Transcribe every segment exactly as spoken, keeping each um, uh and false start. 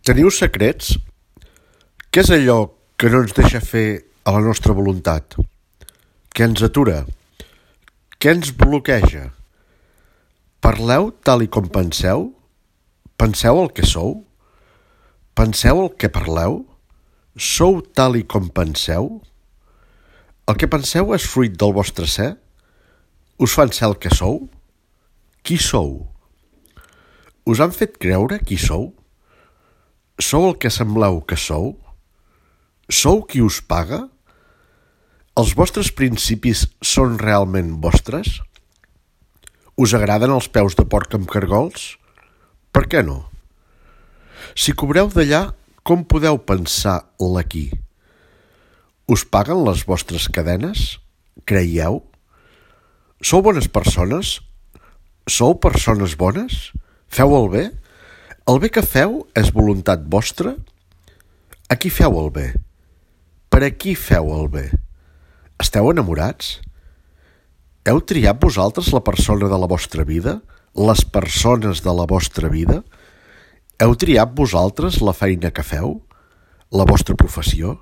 Teniu secrets? Què és allò que no ens deixa fer a la nostra voluntat? Què ens atura? Què ens bloqueja? Parleu tal i com penseu? Penseu el que sou? Penseu el que parleu? Sou tal i com penseu? El que penseu és fruit del vostre ser? Us fan ser el que sou? Qui sou? Us han fet creure qui sou? Sou el que sembleu que sou? Sou qui us paga? Els vostres principis són realment vostres? Us agraden els peus de porc amb cargols? Per què no? Si cobreu d'allà, com podeu pensar l'aquí? Us paguen les vostres cadenes? Creieu? Sou bones persones? Sou persones bones? Feu el bé? El bé que feu és voluntat vostra? A qui feu el bé? Per a qui feu el bé? Esteu enamorats? Heu triat vosaltres la persona de la vostra vida? Les persones de la vostra vida? Heu triat vosaltres la feina que feu? La vostra professió?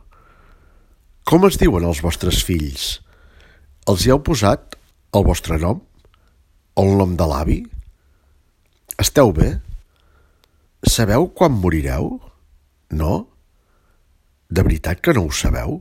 Com es diuen els vostres fills? Els hi heu posat el vostre nom? El nom de l'avi? Esteu bé? Sabeu quan morireu? No? De veritat que no ho sabeu?